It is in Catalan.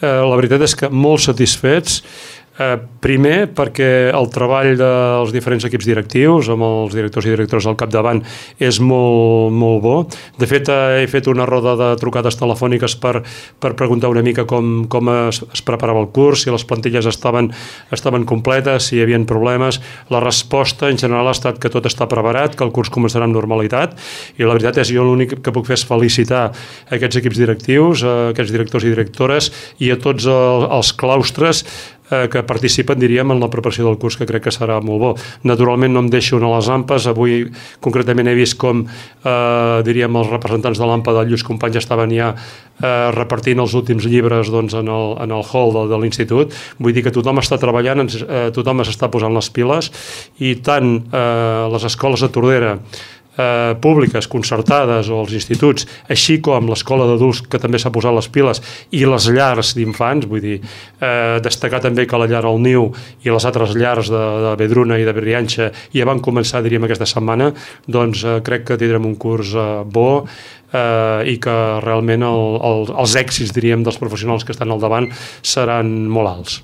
La veritat és que molt satisfets. Primer, perquè el treball dels diferents equips directius, amb els directors i directores al capdavant, és molt, molt bo. De fet, he fet una roda de trucades telefòniques per preguntar una mica com es preparava el curs, si les plantilles estaven completes, si hi havia problemes. La resposta, en general, ha estat que tot està preparat, que el curs començarà amb normalitat, i la veritat és que jo l'únic que puc fer és felicitar aquests equips directius, aquests directors i directores, i a tots els claustres que participen, diríem, en la preparació del curs, que crec que serà molt bo. Naturalment no em deixo a les AMPAs. Avui concretament he vist com, diríem, els representants de l'AMPA dels Lluís Companys estaven ja repartint els últims llibres en el hall de l'institut. Vull dir que tothom està treballant, tothom s'està posant les piles, i tant les escoles de Tordera públiques, concertades, o els instituts, així com l'escola d'adults, que també s'ha posat les piles, i les llars d'infants. Vull dir, destacar també que la llar al Niu i les altres llars de Vedruna i de Brianxa ja van començar, diríem, aquesta setmana. Doncs crec que tindrem un curs bo, i que realment els èxits, diríem, dels professionals que estan al davant seran molt alts.